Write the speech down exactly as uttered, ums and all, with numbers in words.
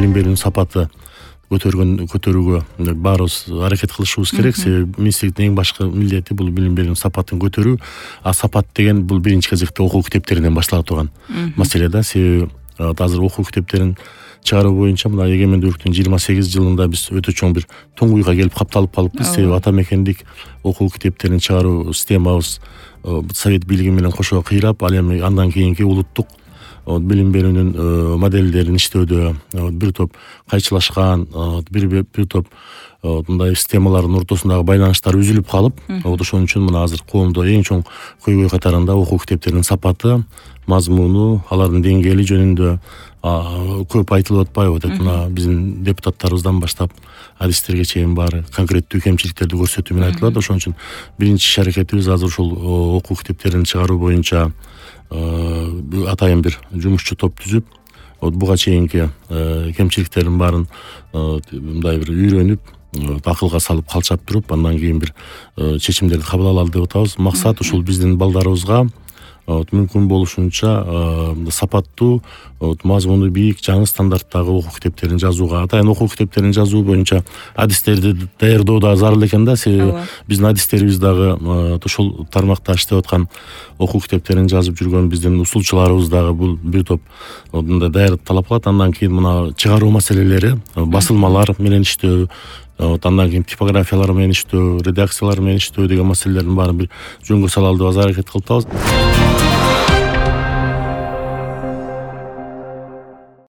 билим берүүнүн сапаты көтөргөн көтөрүүгө баарыбыз аракет кылышыбыз керек. Себеби министрликтин эң башкы милдети бул билим берүүнүн сапатын көтөрүү. А сапат деген бул биринчи кезекте окуу китептеринен баштала турган маселе да. Себеби азыр окуу китептерин чыгаруу боюнча мына эгемендүүлүктүн жыйырма сегиз жылында биз өтө чоң бир туңгуйга келип капталып калыппыз. Себеби ата мекендик окуу китептерин чыгаруу системабыз совет бийлиги менен кошо кыйрап, ал эми андан кийинки улуттук билим берүүнүн моделдерин иштөөдө бир топ кайчылашкан, бир бир топ мындай системалардын ортосундагы байланыштар үзүлүп калып, ошон үчүн мына азыр коомдо эң чоң көйгөй катарында окуу китептеринин сапаты, мазмуну, алардын деңгээли жөнүндө көп айтылып атпайбы деп, мына биздин депутаттарыбыздан баштап адистерге чейин баары конкреттүү кемчиликтерди көрсөтүү менен айтылат. Ошон үчүн биринчи иш аракетибиз азыр ушул окуу китептерин чыгаруу боюнча атайын бир жумушчу топ түзүп, буга чейинки кемчиликтердин баарын мындай бир үйрөнүп, акылга салып калчап туруп, андан кийин бир чечимдерди кабыл алалы деп атабыз. Максат ушул биздин балдарыбызга мүмкүн болушунча сапаттуу, мазмуну бийик, жаңы стандарттагы окуу китептерин жазууга, атайын окуу китептерин жазуу боюнча адистерди даярдоо да зарыл экен да. Себеби биздин адистерибиз дагы ушул тармакта иштеп аткан, окуу китептерин жазып жүргөн биздин усулчуларыбыз дагы бул бир топ мындай даярдык талап кылат. Андан кийин мына чыгаруу маселелери, басылмалар менен иштөө, андан кийин типографиялар менен иштөө, редакциялар менен иштөө деген маселелердин баарын бир жөнгө салалы деп азыр аракет кылып атабыз.